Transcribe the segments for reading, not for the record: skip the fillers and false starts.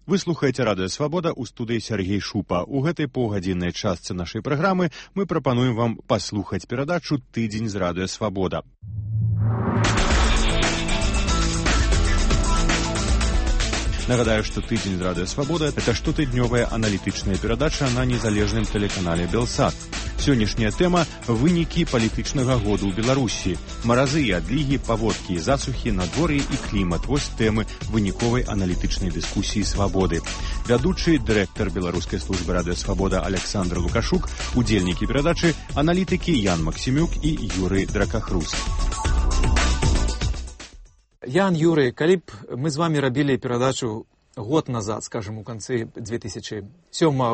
Вы слухаеце Радыё Свабода, у студыі Сергей Шупа. У гэтай паўгадзіннай частцы нашай праграмы мы прапануем вам паслухаць перадачу «Тыдзень з Радыё Свабода». Нагадаю, што «Тыдзень з Радыё Свабода» — это штотыднёвая аналітычная перадача на незалежным тэлеканале «Белсат». Сённяшняя тэма – вынікі палітычнага году ў Беларусі. Маразы і адлігі, паводкі і засухі, надвор'е і клімат – вось тэмы выніковай аналітычнай дыскусіі «Свабоды». Вядучы, дырэктар Беларускай службы Радыё Свабода Александр Лукашук, удзельнікі перадачы, аналітыкі Ян Максімюк і Юрый Дракахрус. Ян, Юрый, калі б мы з вами рабілі перадачу год назад, скажем, у канцы 2007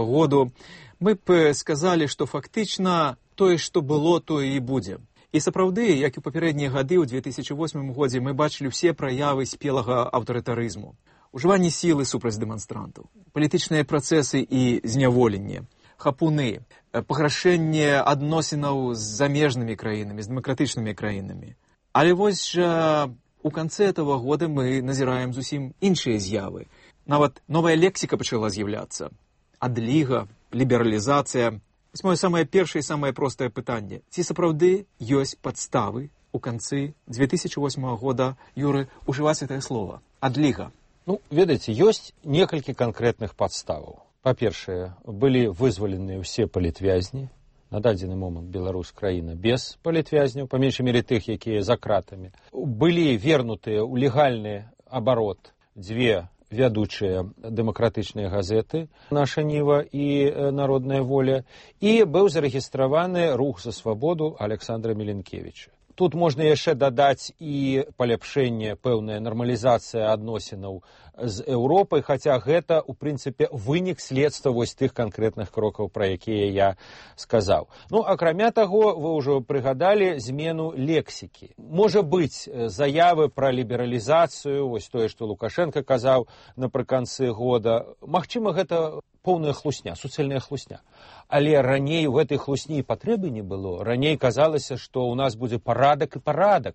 году, мы б сказалі, што фактычна тое, што было, тое і будзе. І сапраўды, як і папярэднія гады, ў 2008 годзе мы бачылі ўсе праявы спелага аўтарытарызму. Ужыванне сілы супраць дэманстрантаў, палітычныя працэсы і зняволенне, хапуны, паграшэнне адносінаў з замежнымі краінамі, з дэмакратычнымі краінамі. Але вось жа у канцы этого года мы назіраем зусім іншыя з'явы. Нават новая лексіка пачала з'яўляцца. Адліга, лібералізацыя. Вось моё самае першае і самае простае пытанне. Ці сапраўды ёсць падставы у канцы 2008 года, Юры, ужываць гэтае слова? Адліга. Ведаеце, ёсць некалькі канкрэтных падставаў. Па-першае, былі вызваленыя ўсе палітвязні. На дадзены момант Беларусь краіна без палітвязняў, па меншай мере тых, якія за кратамі. Былі вернутыя ў легальны абарот дзве вядучыя дэмакратычныя газеты «Наша Ніва» і «Народная воля», і быў зарэгістраваны рух за свабоду Александра Міленкевіча. Тут можна яшчэ дадаць і паляпшэнне, пэўная нармалізацыя адносінаў з Еўропай, хаця гэта, у прынцыпе, вынік следства вось тых канкрэтных крокаў, пра якія я сказаў. Акрамя таго, вы ўжо прыгадалі змену лексікі. Можа быць, заявы пра лібералізацыю, вось тое, што Лукашенко казаў напрыканцы года, магчыма, гэта поўная хлусня, суцэльная хлусня. Але раней у гэтай хлусні патрэбы не было. Раней казалася, што ў нас будзе парадак,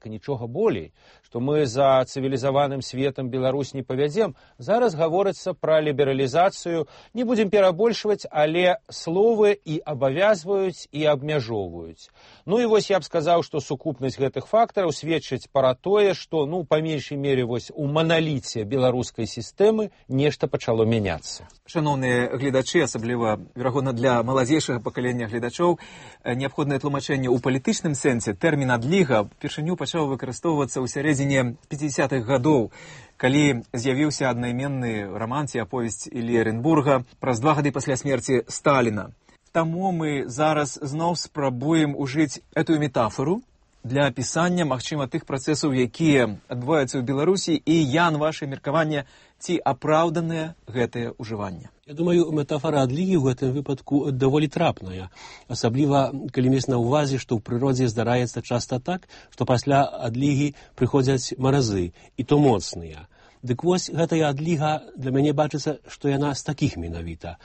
і нічога болей, што мы за цывілізаваным светам Беларусь не павядзем. Зараз гаворыцца пра лібералізацыю. Не будзем перабольшваць, але словы і абавязваюць, і абмяжоўваюць. І вось я б сказаў, што сукупнасць гэтых фактараў сведчыць пра тое, што, па меншай мере, вось у маналіце беларускай сістэмы нешта пачало мяняцца. Шаноўныя гледачы, асабліва, верагодна, для маладзейшага пакалення гледачоў, неабходнае тлумачэнне ў палітычным сэнсе. Тэрмін «адліга» упершыню пачаў выкарыстоўвацца ў сярэдзіне 50-х гадоў, калі з'явіўся аднайменны раман ці аповесць Іллі Эренбурга праз 2 гады пасля смерці Сталіна. Таму мы зараз зноў спрабуем ужыць эту метафору для апісання, магчыма, тых працэсаў, якія адбываюцца ў Беларусі, і, Ян, ваше меркаванне, ці апраўданае гэтае ўжыванне? Я думаю, метафора адлігі ў гэтым выпадку даволі трапная. Асабліва, калі мець на ўвазе, што ў прыродзе здараецца часта так, што пасля адлігі прыходзяць маразы, і то моцныя. Дык вось гэтая адліга для мяне бачыцца, што яна з такіх менавіта.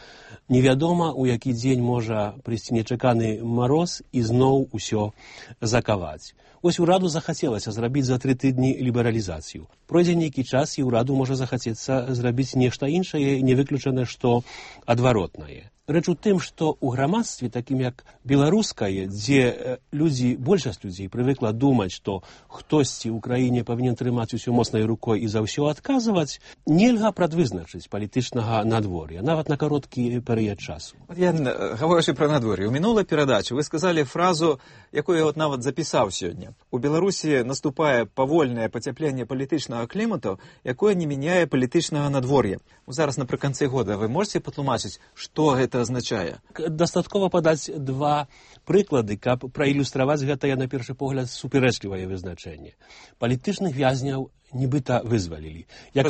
Невядома, у які дзень можа прыйсці нечаканы мароз і зноў усё закаваць. Вось ураду захацелася зрабіць за 3 тыдні лібералізацыю. Пройдзе нейкі час, і ўраду можа захацецца зрабіць нешта іншае, не выключана, што адваротнае. Рэч у тым, што ў грамадстве, такім як беларускае, дзе большасць людзей прывыкла думаць, што хтосьці ў краіне павінен трымаць усё моцнай рукой і за ўсё адказваць, нельга прадвызначыць палітычнага надвор'я, нават на кароткі перыяд часу. Ян, гаворачы пра надвор'е, у мінулай перадачы вы сказалі фразу, якую я нават запісаў сёння. У Беларусі наступае павольнае пацяпленне палітычнага клімату, якое не мяняе палітычнага надвор'я. Зараз напрыканцы года вы можете патлумачыць, што гэта азначае? Дастаткова падаць 2 прыклады, каб праілюстраваць гэтае, на першы погляд, супярэчлівае вызначэнне. Палітычных вязняў нібыта вызвалілі. Я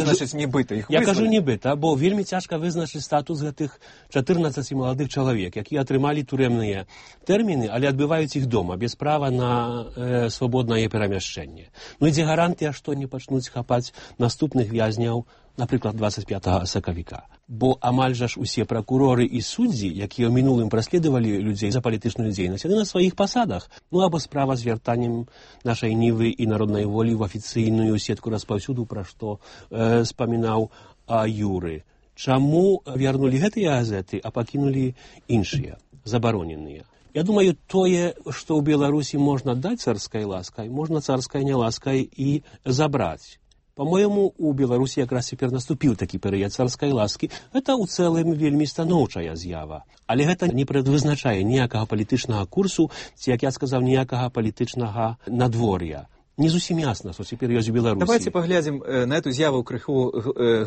кажу нібыта, бо вельмі цяжка вызначыць статус гэтых 14 маладых чалавек, якія атрымалі турэмныя тэрміны, але адбываюць іх дома, без права на свабоднае перамяшчэнне. Ідзе гарантыя, што не пачнуць хапаць наступных вязняў, напрыклад, 25 сакавіка. Бо амаль жа ж усе пракуроры і суддзі, якія ў мінулым праследавалі людзей за палітычную дзейнасць, яны на сваіх пасадах. Або справа з вяртаннем нашай Нівы і Народнай волі ў афіцыйную сетку распаўсюду, пра што спамінаў Юры. Чаму вярнулі гэтыя газеты, а пакінулі іншыя, забароненыя? Я думаю, тое, што ў Беларусі можна даць царскай ласкай, можна царскай няласкай і забраць. По-моему, у Беларусі якраз цяпер наступіў такі перыяд царскай ласкі. Гэта ў цэлым вельмі станоўчая з'ява. Але гэта не прадвызначае ніякага палітычнага курсу, ці, як я сказаў, ніякага палітычнага надвор'я. Не зусім ясна, што цяпер ёсць у Беларусі. Давайте паглядзім на эту з'яву крыху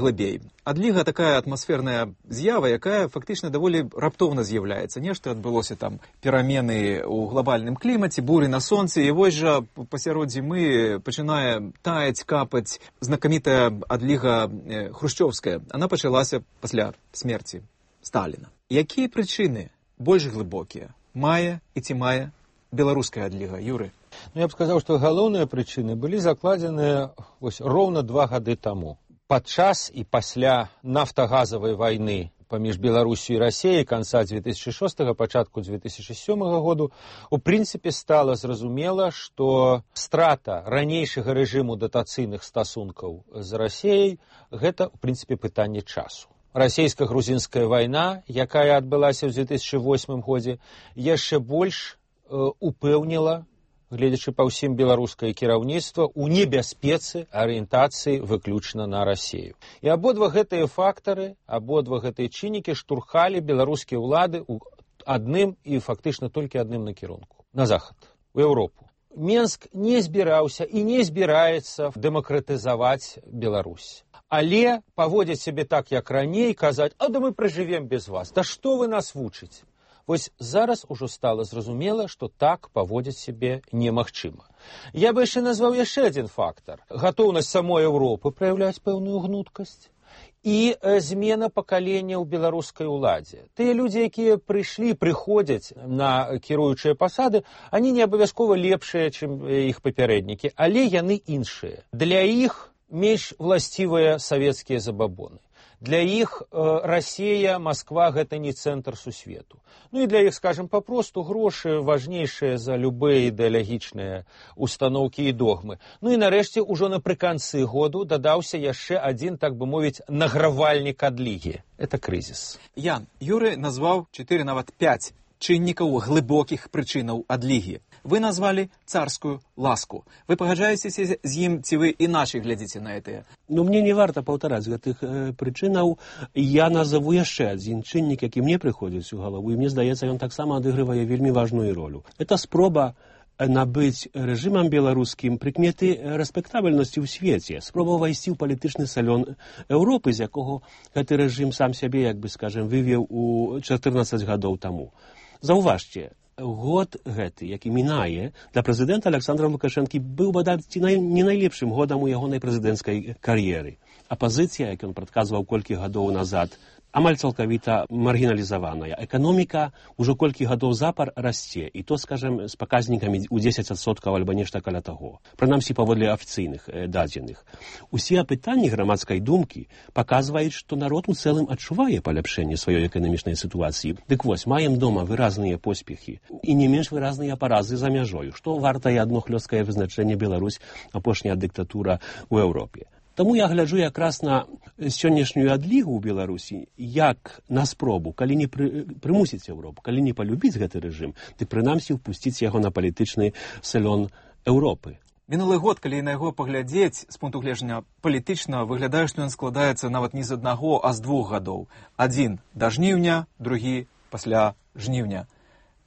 глыбей. Адліга такая атмасферная з'ява, якая фактычна даволі раптоўна з'яўляецца. Нешта адбылося там перамены ў глобальным клімаце, буры на сонцы, і вось жа пасярод зімы пачынае таяць, капаць знакамітая адліга хрушчёўская. Она пачалася пасля смерці Сталіна. Якія прычыны больш глыбокія мае і ці мае беларуская адліга, Юры? Ну, я б сказаў, што галоўныя прычыны былі закладзеныя роўна 2 гады таму. Падчас і пасля нафтагазавай вайны паміж Беларусю і Расіяй канца 2006, пачатку 2007 году, у прынцыпе стала зразумела, што страта ранейшага рэжыму датацыйных стасункаў з Расіяй гэта, у прынцыпе, пытанне часу. Расійска-грузінская вайна, якая адбылася ў 2008 годзе, яшчэ больш упэўніла, гледзячы па ўсім беларускае кіраўніцтва, у небяспецы арыентацыі выключна на Расію. І абодва гэтыя фактары, абодва гэтыя чыннікі штурхалі беларускія ўлады ў адным і фактычна толькі адным накірунку. На захад, у Еўропу. Менск не збіраўся і не збіраецца дэмакратызаваць Беларусь. Але паводзіць сябе так, як раней, казаць, а да мы пражывем без вас, да што вы нас вучыце? Вось зараз ужо стала зразумела, што так паводзіць сябе немагчыма. Я бы яшчэ назваў яшчэ адзін фактар. Гатоўнасць самой Еўропы праяўляць пэўную гнуткасць і змена пакалення ў беларускай уладзе. Тыя людзі, якія прыходзяць на кіруючыя пасады, они не абавязкова лепшыя, чым іх папярэднікі, але яны іншыя. Для іх менш власцівыя савецкія забабоны. Для іх Расія, Масква – гэта не цэнтр сусвету. Ну і для іх, скажем, папросту грошы важнейшыя за любыя ідэалагічныя установкі і догмы. Ну і нарэшце, ужо напрыканцы году дадаўся яшчэ адзін, так бы мовіць, награвальнік адлігі. Это крызіс. Ян, Юры назваў 4, нават 5 чыннікаў глыбокіх прычынаў адлігі. Вы назвалі царскую ласку. Вы пагаджаецеся з ім, ці вы іначай глядзіце на гэтыя? Ну, мне не варта паўтараць гэтых прычынаў. Я назову яшчэ адзін чыннік, які мне прыходзіць у галаву, і мне здаецца, ён таксама адыгрывае вельмі важную ролю. Это спроба набыць рэжымам беларускім прыкметы рэспектабельнасці ў свеце, спроба ўвайсці ў палітычны салён Еўропы, з якога гэты рэжым сам сябе, як бы, скажем, вывеў у 14 гадоў таму. Заўважце, год гэты, які мінае, для прэзідэнта Александра Лукашэнкі быў, бадай, не найлепшым годам у ягонай прэзідэнцкай кар'еры. Апазіцыя, як ён прадказваў колькі гадоў назад, амаль цалкавіта маргіналізаваная. Эканоміка ўжо колькі гадоў запар расце, і то, скажем, з паказнікамі ў 10% альбо нешта каля таго. Прынамсі, паводле афіцыйных дадзеных. Усе апытанні грамадскай думкі паказваюць, што народ у цэлым адчувае паляпшэнне сваёй эканамічнай сітуацыі. Дык вось, маем дома выразныя поспехі і не менш выразныя паразы за мяжою, што вартае адно хлёсткае вызначэнне Беларусь, апошняя дыктатура ў Еўропе. Таму я гляджу якраз на сённяшнюю адлігу ў Беларусі як на спробу, калі не прымусіць Еўропу, калі не палюбіць гэты рэжым, дык прынамсі ўпусціць яго на палітычны салён Еўропы. Мінулы год, калі на яго паглядзець з пункту гледжання палітычна, выглядае, што ён складаецца нават не з аднаго, а з 2 гадоў. Адзін да жніўня, другі пасля жніўня.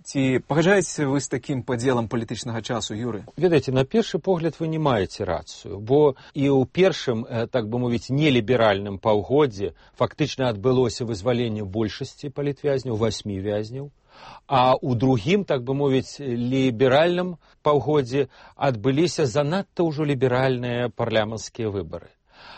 Ці пагаджаецеся вы з такім падзелам палітычнага часу, Юры? Ведаеце, на першы погляд вы не маеце рацыю, бо і ў першым, так бы мовіць, неліберальным паўгоддзі фактычна адбылося вызваленне большасці палітвязняў, 8 вязняў, а ў другім, так бы мовіць, ліберальным паўгоддзі адбыліся занадта ўжо ліберальныя парламенцкія выбары.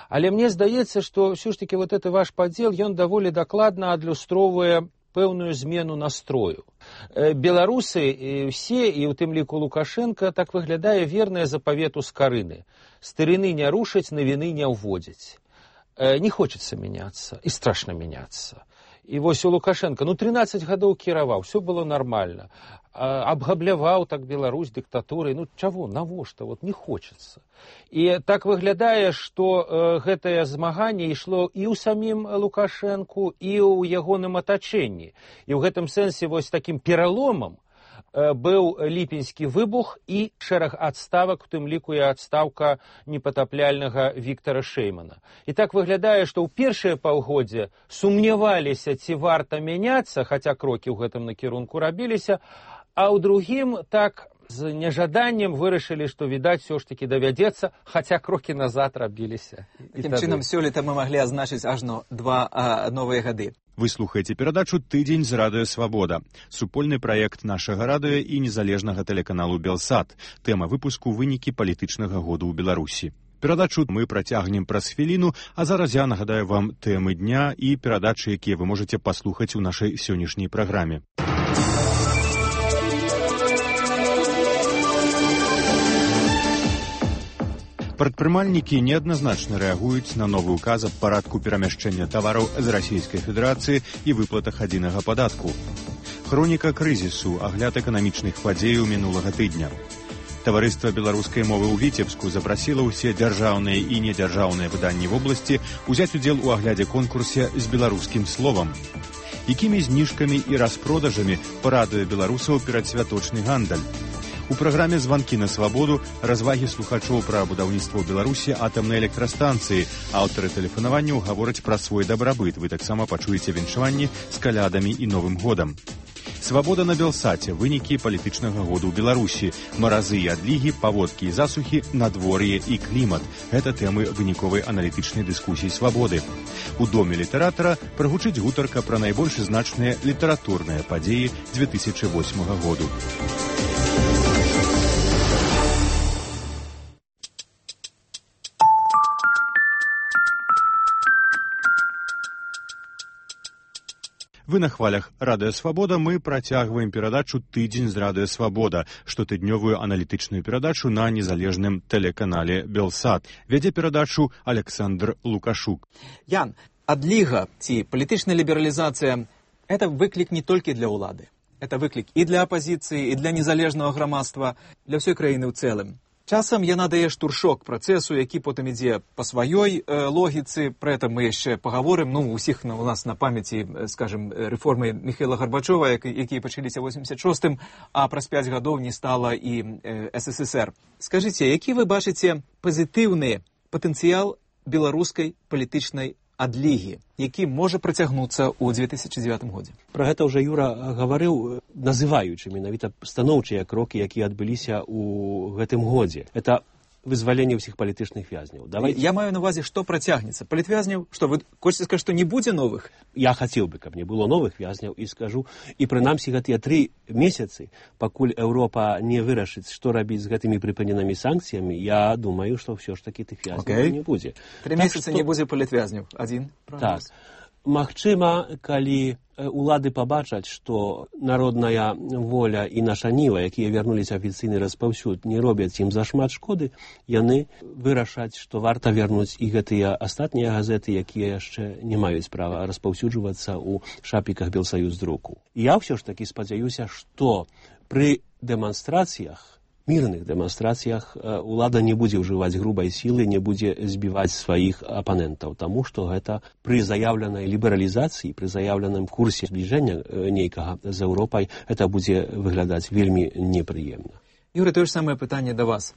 Але мне здаецца, што ўсё ж такі вот гэты ваш падзел, ён даволі дакладна адлюстроўвае пэўную змену настрою. Беларусы все, і ў тым ліку Лукашенко, так выглядае вернае запавету скарыны. Старыны не рушаць, навіны не ўводзяць. Не хочется меняться, и страшно меняться. І вось у Лукашенка, 13 гадоў кіраваў, все было нормально. Абгабляваў так Беларусь дыктатурай. Чаго, навошта? Не хочется. І так выглядае, што гэтае змаганне ішло і ў самім Лукашэнку, і ў ягоным атачэнні. І ў гэтым сэнсе вось такім пераломам быў ліпеньскі выбух і шэраг адставак, у тым ліку і адстаўка непатапляльнага Віктара Шэймана. І так выглядае, што ў першае паўгоддзе сумняваліся, ці варта мяняцца, хаця крокі ў гэтым накірунку рабіліся, а ў другім так з нежаданнем вырашылі, што, відаць, все ж таки давядзецца, хаця крокі назад рабіліся. Такім чынам, сёлета мы маглі азначыць ажно 2 новыя гады. Вы слухаеце перадачу «Тыдзень з радыё Свабода». Супольны праект нашага радыё і незалежнага тэлеканалу «Белсат». Тэма выпуску «Вынікі палітычнага году ў Беларусі». Перадачу мы працягнем праз хвіліну, а зараз я нагадаю вам тэмы дня і перадачы, якія вы можаце паслухаць у нашай сённяшняй праграме. Прадпрымальнікі неадназначна рэагуюць на новы ўказ аб парадку перамяшчэння тавараў з Расійскай Федэрацыі і выплатах адзінага падатку. Хроніка крызісу, агляд эканамічных падзеяў минулага тыдня. Таварыства беларускай мовы ў Віцебску запрасіла ўсе дзяржаўныя і недзяржаўныя выданні вобласці узяць удзел у аглядзе конкурсе з беларускім словам. Якімі зніжкамі і распродажамі парадуе беларусаў перадсвяточны гандаль? У праграме «Званкі на свабоду» развагі слухачоў пра будаўніцтва ў Беларусі атамнай электрастанцыі. Аўтары тэлефанаванняў гавораць пра свой дабрабыт. Вы таксама пачуеце віншаванні з калядамі і Новым годам. Свабода на Белсаце. Вынікі палітычнага году ў Беларусі. Маразы і адлігі, паводкі і засухі, надвор'е і клімат. Гэта тэмы выніковай аналітычнай дыскусіі «Свабоды». У доме літаратара прагучыць гутарка пра найбольш значныя літаратурныя падзеі 2008 году. Вы на хвалях радыё Свабода. Мы працягваем перадачу «Тыдзень з радыё Свабода», штотыднёвую аналітычную перадачу на незалежным тэлеканале «Белсат». Вядзе перадачу Александр Лукашук. Ян, адліга ці палітычная лібералізацыя – это выклік не толькі для ўлады. Это выклік і для апазіцыі, і для незалежнага грамадства, для ўсёй краіны ў цэлым. Часам яна дае штуршок працэсу, які потым ідзе па сваёй логіцы. Пра гэта мы яшчэ пагаворым. Усіх у нас на памяці, скажем, рэформы Міхаіла Гарбачова, якія пачаліся ў 86-м, а праз 5 гадоў не стала і СССР. Скажыце, які вы бачыце пазітыўны патэнцыял беларускай палітычнай адлігі, які можа працягнуцца ў 2009 годзе? Пра гэта ўжо Юра гаварыў, называючы менавіта станоўчыя крокі, якія адбыліся ў гэтым годзе. Это вызваленне ўсіх палітычных вязняў. Я маю на увазе, што працягнецца. Палітвязняў, што вы хочаце сказаць, што не будзе новых? Я хацеў бы, каб не было новых вязняў, і скажу, і прынамсі гэтыя 3 месяцы, пакуль Еўропа не вырашыць, што рабіць з гэтымі прыпыненымі санкцыямі, я думаю, што ўсё ж такі тых вязняў не будзе. 3 месяцы не будзе палітвязняў. Адзін прагноз. Так. Магчыма, калі улады пабачаць, што народная воля і наша ніва, якія вярнуліся афіцыйны распаўсюд, не робяць ім зашмат шкоды, яны вырашаць, што варта вярнуць і гэтыя астатнія газеты, якія яшчэ не маюць права распаўсюджвацца ў шапіках Белсаюз друку. Я ўсё ж такі спадзяюся, што пры дэманстрацыях, мірных дэманстрацыях улада не будзе ўжываць грубай сілы, не будзе збіваць сваіх апанентаў, таму што гэта пры заяўленай лібералізацыі, пры заяўленым курсе збліжэння нейкага з Еўропай, это будзе выглядаць вельмі непрыемна. Юрый, тое ж самае пытанне да вас.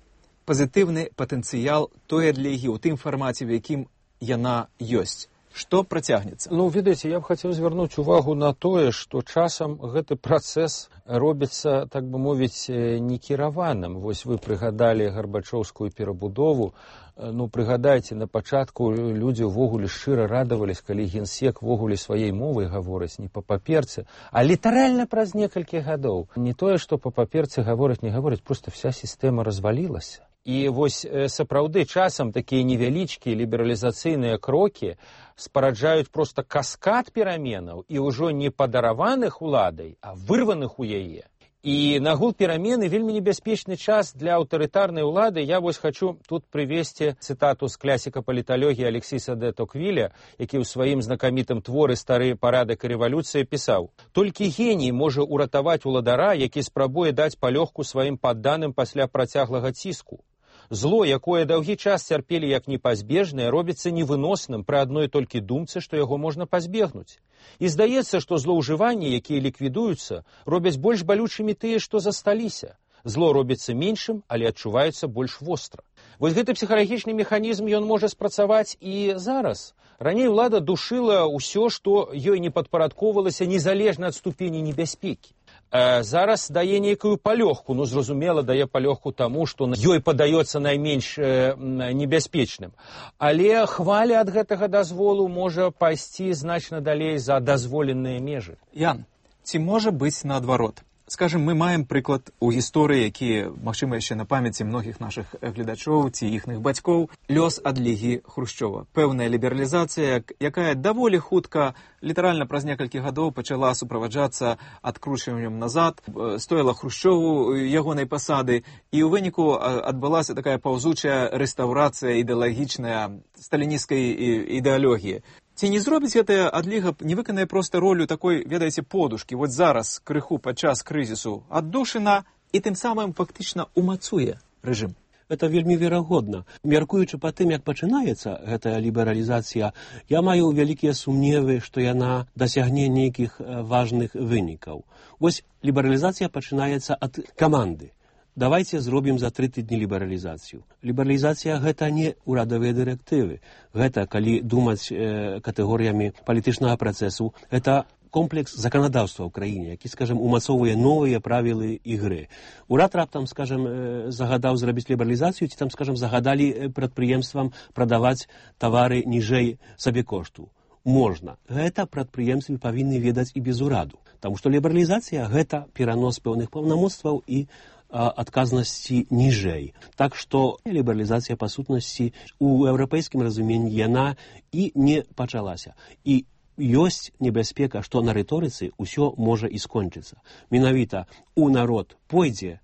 Пазітыўны патэнцыял той адлігі ў тым фармаце, в якім яна ёсць. Што працягнецца? Ведаеце, я б хацеў звярнуць увагу на тое, што часам гэты працэс робіцца, так бы мовіць, некіраваным. Вось вы прыгадалі гарбачоўскую перабудову. Прыгадайце, на пачатку людзі ўвогуле шчыра радавались, калі генсек ўвогуле сваёй мовай гаворыць не па паперцы, а літаральна праз некалькі гадоў. Не тое, што па паперцы гавораць, не гавораць, проста вся сістэма развалілася. І вось сапраўды часам такія невялічкія лібералізацыйныя крокі спараджаюць проста каскад пераменаў і ўжо не падараваных уладай, а вырваных у яе. І нагул перамены вельмі небяспечны час для аўтарытарнай улады. Я вось хочу тут прывесці цытату з класіка паліталогіі Алексіса де Токвіля, які ў сваім знакамітым творы «Стары парадак і рэвалюцыя» пісаў: «Толькі геній можа ўратаваць уладара, які спрабуе даць палёгку сваім падданым пасля працяглага ціску. Зло, якое доўгі час цярпелі як непазбежнае, робіцца невыносным пры адной толькі думцы, што яго можна пазбегнуць. І здаецца, што злоўжыванні, якія ліквідуюцца, робяць больш балючымі тыя, што засталіся. Зло робіцца меншым, але адчуваецца больш востра». Вось гэты псіхалагічны механізм ён можа спрацаваць і зараз. Раней улада душыла ўсё, што ёй не падпарадковалася незалежна ад ступені небяспекі. Зараз дае нейкую палёгку, зразумела, дае палёгку таму, што ёй падаецца найменш небяспечным. Але хваля ад гэтага дазволу можа пайсці значна далей за дазволеныя межы. Ян, ці можа быць наадварот? Скажем, мы маем прыклад у гісторыі, які, магчыма, яшчэ на памяці многіх нашых гледачоў ці іхных бацькоў, лёс адлігі Хрушчова. Пэўная лібералізацыя, якая даволі хутка, літаральна праз некалькі гадоў пачала суправаджацца адкручваннем назад, стоіла Хрушчову ягонай пасады, і ў выніку адбылася такая паўзучая рэстаўрацыя ідэалагічная сталінісцкай ідэалогіі. Ці не зробіць гэтая адліга, не выканае проста ролю такой, ведаеце, подушкі, вот зараз крыху падчас крызісу аддушына і тым самым фактычна умацуе рэжым? Это вельмі верагодна. Мяркуючы па тым, як пачынаецца гэтая лібералізацыя, я маю вялікія сумневы, што яна дасягне нейкіх важных вынікаў. Вось лібералізацыя пачынаецца ад каманды. Давайте зробім за 3 тыдні лібералізацыю. Лібералізацыя гэта не ўрадавыя дырэктывы. Гэта, калі думаць катэгорыямі палітычнага працэсу, гэта комплекс заканадаўства ў краіне, які, скажем, умацоўвае новыя правілы ігры. Урад раптам, скажем, загадаў зрабіць лібералізацыю, ці там, скажем, загадалі прадпрыемствам прадаваць тавары ніжэй сабекошту. Можна. Гэта прадпрыемствы павінны ведаць і без ураду. Таму што лібералізацыя гэта перанос пэўных паўнамоцтваў і адказнасці ніжэй. Так што лібералізацыя па сутнасці у еўрапейскім разуменні яна і не пачалася. І ёсць небяспека, што на рыторыцы ўсё можа і скончыцца. Менавіта у народ пойдзе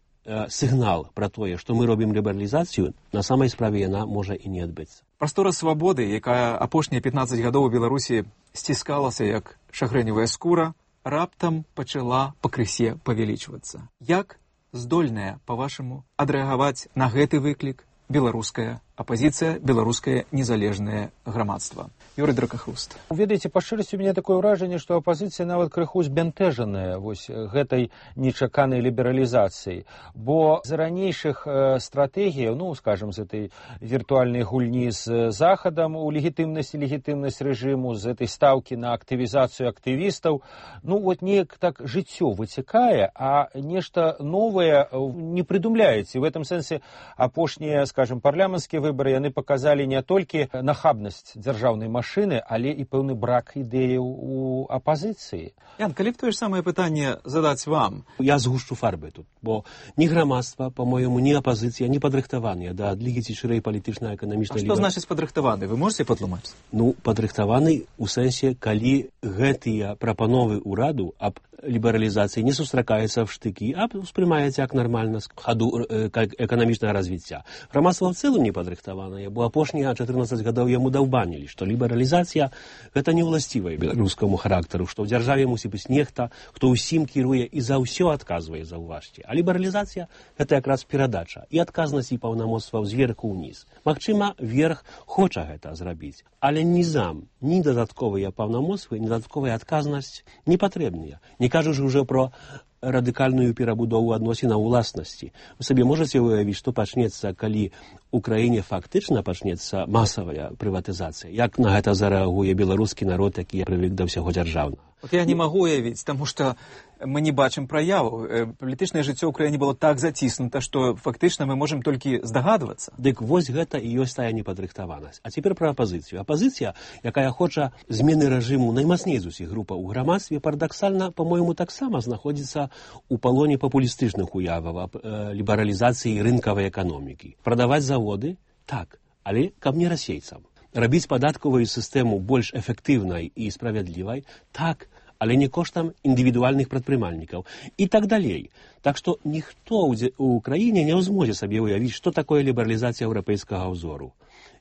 сігнал пра тое, што мы робім лібералізацыю, на самай справе яна можа і не адбыцца. Прастора свабоды, якая апошнія 15 гадоў у Беларусі сціскалася як шагрэневая скура, раптам пачала пакрысе павялічвацца. Як здольная, па-вашаму, адрэагаваць на гэты выклік беларуская апазіцыя, беларускае незалежнае грамадства? Юрый Дракахруст. Ведаеце, па шчырасці, у мяне такое ўражанне, што апазіцыя нават крыху збянтэжаная вось гэтай нечаканай лібералізацыяй. Бо з ранейшых стратэгій, скажем, з этой віртуальнай гульні з Захадам у легітымнасць рэжыму, з этой стаўкі на актывізацыю актывістаў, неяк так жыццё выцякае, а нешта новае не прыдумляецца. І в этом сэнсе апошнія, скажем, парламенцкія выбары, яны паказалі не толькі нахабнасць дзяржаўнай машыны, але і пэўны брак ідэяў у апазіцыі. Ян, калі б тое ж самае пытанне задаць вам? Я згушчу фарбы тут, бо ні грамадства, па-моему, ні апазіцыя не падрыхтаваныя да адлігі ці шырэй палітычна-эканамічнай. А што значыць падрыхтаваны? Вы можете патлумачыць? Падрыхтаваны ў сэнсе, калі гэтыя прапановы ўраду аб лібералізацыі не сустракаецца в штыкі, а ўспрымаецца як нармальна з хаду эканамічнага развіцця. Грамадства в цэлым не падрыхтаванае, бо апошнія 14 гадоў яму даўбанілі, што лібералізацыя гэта не ўласцівая беларускаму характару, што ў дзяржаве мусіць быць нехта, хто ўсім кіруе і за ўсё адказвае, заўважце. А лібералізацыя гэта якраз перадача і адказнасць і паўнамоцтваў зверху ўніз. Магчыма, верх хоча гэта зрабіць, але нізам, ні дадатковыя паўнамоцтвы, ні дадатковая адказнасць не патрэбныя. Не кажучы ўжо про радыкальную перабудову адносін уласнасці. Вы сабе можаце уявіць, што пачнецца, калі ў краіне фактычна пачнецца масавая прыватызацыя? Як на гэта зарэагуе беларускі народ, які прывык да ўсяго дзяржаўнага? Я не магу уявіць, таму што мы не бачым праяву. Палітычнае жыццё ў краіне было так заціснута, што фактычна мы можам толькі здагадвацца. Дык вось гэта і ёсць тая непадрыхтаванасць. А цяпер пра апазіцыю. Апазіцыя, якая хоча змены рэжыму наймацней з усіх групаў у грамадстве, парадаксальна, па-мойму, таксама знаходзіцца у палоне папулістычных уяваў аб лібералізацыі рынкавай эканомікі. Прадаваць заводы? Так, але каб не расейцам. Рабіць падаткавую сістэму больш эфектыўнай і справядлівай? Так, але не коштам індывідуальных прадпрымальнікаў і так далей. Так што ніхто ў краіне не зможа сабе ўявіць, што такое лібералізацыя еўрапейскага ўзору.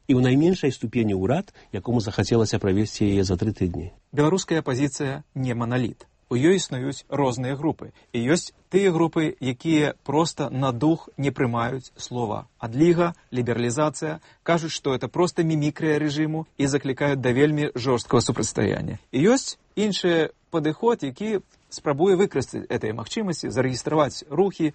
І ў найменшай ступені ўрад, якому захацелася правесці яе за 3 тыдні. Беларуская апазіцыя не маналіт. У ёй існуюць розныя групы. І ёсць тыя групы, якія проста на дух не прымаюць слова адліга, лібералізацыя, кажуць, што это проста мімікрыя рэжыму і заклікаюць да вельмі жорсткага супрацьстаяння. І ёсць іншы падыход, які спрабуе выкарыстаць этой магчымасці, зарэгістраваць рухі,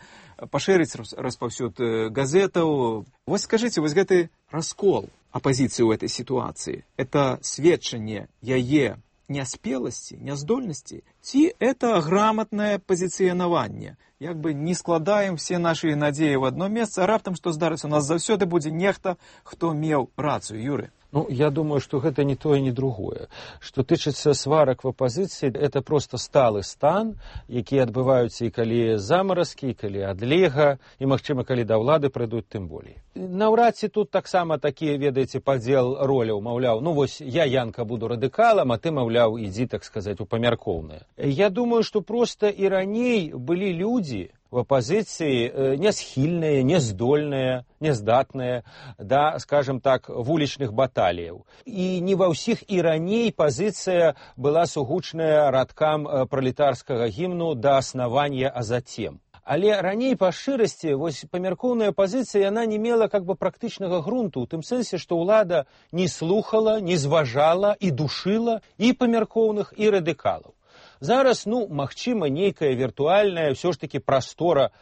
пашырыць распаўсюд газетаў. Вось скажыце, вось гэты раскол апазіцыі ў этой сітуацыі, это сведчанне яе няспеласці, няздольнасці, ці это грамотнае пазіцыянаванне. Як бы не складаем все наши надзеі в одно месца, а раптам што здарыцца, у нас заўсёды будзе нехта, хто меў рацыю, Юры. Ну, я думаю, что гэта не то и не другое. Что тычыцца сварак в апозіцыі, это просто сталы стан, які адбываюцца і калі замаразкі, і калі адлега, і, магчыма, калі да ўлады прыйдуць, тым болей. Наўрад ці тут таксама такі, ведаеце, падзел роляў, маўляў, ну вось я, Янка, буду радыкалам, а ты, маўляў, ідзі, так сказаць, у памяркоўнае. Я думаю, что просто і раней былі людзі, в апозіцыі нясхільныя, няздольныя, няздатныя да, скажем так, вулічных баталіяў. І не ва ўсіх і раней пазіцыя была сугучная радкам пралетарскага гімну да аснавання, а затем. Але раней па шчырасці вось памяркоўная пазіцыя яна не мела как бы практычнага грунту, у тым сэнсе, што ўлада не слухала, не зважала і душыла і памяркоўных, і радыкалаў. Зараз, ну, магчыма, нейкая віртуальная ўсё ж такі прастора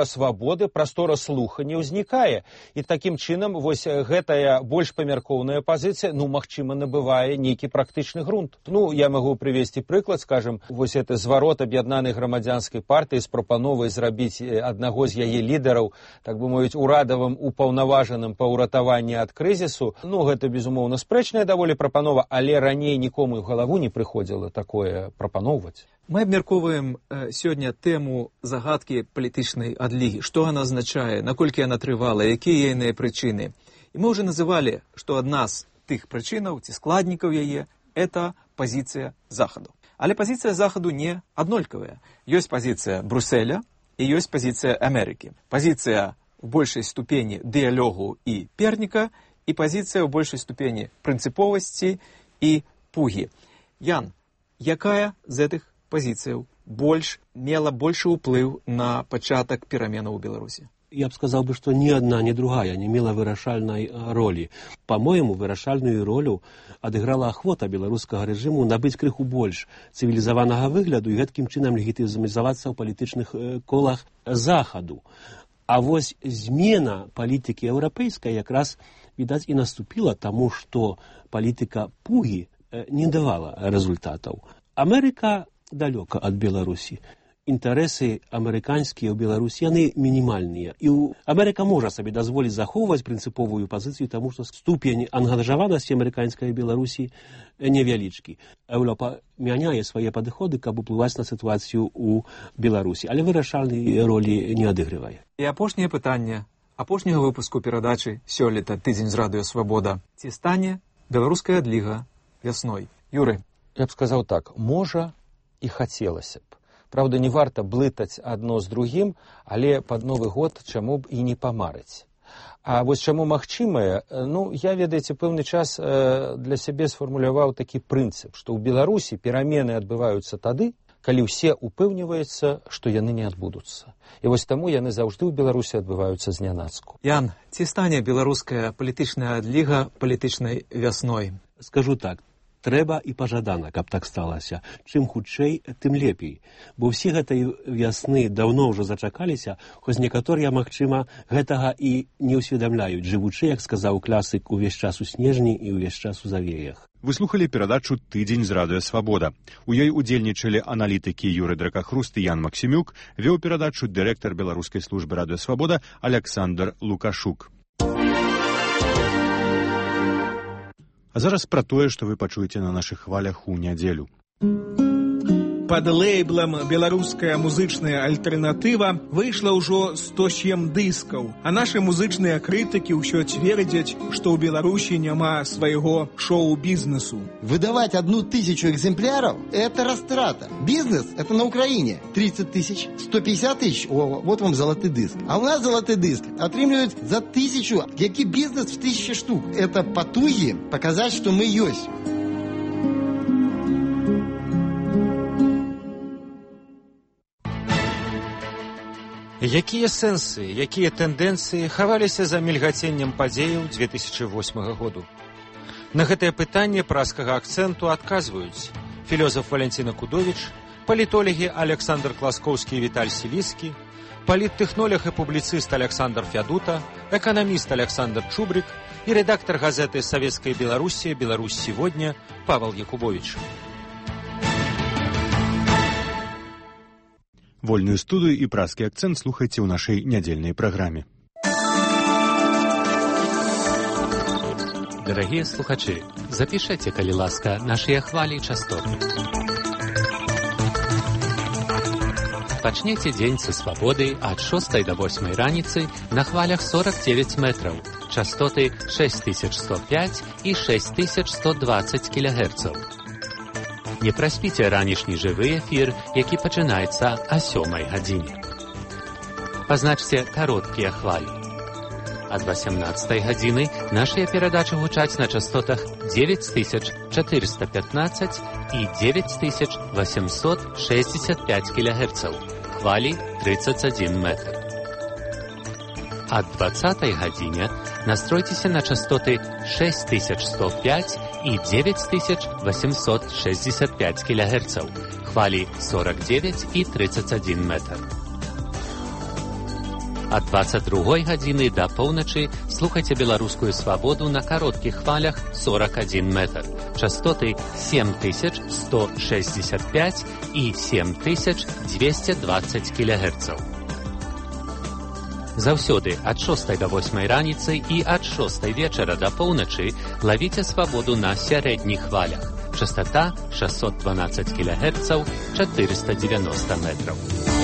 свабоды, прастора слухання ўзнікае. І такім чынам вось гэтая больш памяркоўная пазіцыя, ну, магчыма, набывае нейкі практычны грунт. Ну, я магу прывесці прыклад, скажем, вось гэты зварот аб'яднанай грамадзянскай партыі з прапановай зрабіць аднаго з яе лідараў, так бы мовіць, урадавым упаўнаважаным па ўратаванні ад крызісу. Ну, гэта, безумоўна, спрэчная даволі прапанова, але раней нікому ў галаву не прыходзіла такое прапановаць. Мы абмяркоўваем сёння тэму загадкі палітычнай адлігі. Што яна азначае, наколькі яна трывала, якія яе прычыны. І мы ўжо называлі, што адна з тых прычынаў ці складнікаў яе – это пазіцыя Захаду. Але пазіцыя Захаду не аднолькавая. Ёсць пазіцыя Брюсселя і ёсць пазіцыя Амерыкі. Пазіцыя ў большай ступені дыялогу і перніка і пазіцыя ў большай ступені прынцыповасці і пугі. Ян, якая з гэтых пазіцыяў мела большы ўплыў на пачатак пераменаў у Беларусі? Я б сказал бы, что ни одна, ни другая не мела вырашальной роли. По-моему, вырашальную ролю адыграла ахвота беларускага рэжыму набыць крыху больш цывілізаванага выгляду і гэткім чынам легітымізавацца ў палітычных колах Захаду. А вось змена палітыкі еўрапейскай якраз, відаць, і наступіла таму, што палітыка пугі не давала результатаў. Амерыка далёка ад Беларусі. Інтарэсы амерыканскія ў Беларусі, яны мінімальныя. І Амерыка можа сабе дазволіць захоўваць прынцыповую пазіцыю, таму што ступень ангажаванасці амерыканскай Беларусі невялічкі. Еўропа мяняе свае падыходы, каб уплываць на сітуацыю ў Беларусі, але вырашальнай ролі не адыгрывае. І апошняе пытанне апошняга выпуску перадачы сёлета «Тыдзень з радыё Свабода». Ці стане беларуская адліга вясной? Юры. Я б сказаў так, можа і хацелася б. Праўда, не варта блытаць адно з другім, але пад Новы год чаму б і не памарыць. А вось чаму магчымае, ну, я, ведаеце, пэўны час для сябе сфармуляваў такі прынцып, што ў Беларусі перамены адбываюцца тады, калі ўсе упэўніваюцца, што яны не адбудуцца. І вось таму яны заўжды ў Беларусі адбываюцца знянацку. Ян, ці стане беларуская палітычная адліга палітычнай вясной? Скажу так. Трэба і пажадана, каб так сталася. Чым хутчэй, тым лепей. Бо ўсе гэтай вясны даўно ўжо зачакаліся, хоць некаторыя, магчыма, гэтага і не ўсведамляюць, жывучы, як сказаў класык, увесь час у снежні і ўвесь час у завеях. Вы слухалі перадачу «Тыдзень з радыё Свабода». У ёй удзельнічалі аналітыкі Юры Дракахруст і Ян Максімюк, вёў перадачу дырэктар беларускай службы радыё Свабода Аляксандр Лукашук. А зараз пра тое, што вы пачуеце на нашых хвалях у нядзелю. Пад лейблам «Беларуская музычная альтэрнатыва» выйшла ўжо 107 дыскаў, а нашы музычныя крытыкі ўсё цвердзяць, што ў Беларусі няма свайго шоу-бізнесу. Выдавать 1000 экземпляров – это растрата. Бизнес – это на Украине 30 тысяч, 150 тысяч, вот вам золотый диск. А у нас золотый диск отримлюють за 1000. Який бизнес в 1000 штук? Это потуги показать, что мы есть. Якія сэнсы, якія тэндэнцыі хаваліся за мільгаценнем падзеяў 2008 году? На гэтае пытанне праскага акцэнту адказваюць філёзаф Валянціна Кудовіч, палітолагі Александр Класкоўскі і Віталь Сіліцкі, паліттэхнолог і публіцыст Александр Фядута, эканаміст Александр Чубрик і рэдактар газеты «Советская Белоруссия. Беларусь сегодня» Павел Якубович. Вольную студыю і праскі акцэнт слухайце ў нашай нядзельнай праграме. Дорогие слухачи, запишите, калі ласка, наши хвали и частоты. Пачнете дзень са свабоды ад 6 до 8 раніцы на хвалях 49 метров, частоты 6105 и 6120 кГц. Не праспіце ранішні жывы эфір, які пачынаецца о 7 гадзіне. Пазначце кароткія хвалі. Ад 18 гадзіны нашыя перадачы гучаць на частотах 9415 і 9865 кГц, хвалі 31 метр. Ад 20 гадзіне настройцеся на частоты 6105 и 9865 кГц, хвали 49 и 31 метр. От 22 гадзіны до поўначы слухайте беларускую свабоду на коротких хвалях 41 метр, частоты 7165 и 7220 кГц. Заўсёды ад 6 до 8 раніцы і ад 6 вечара до поўначы лавіце свабоду на сярэдніх хвалях. Частота 612 кГц, 490 метров.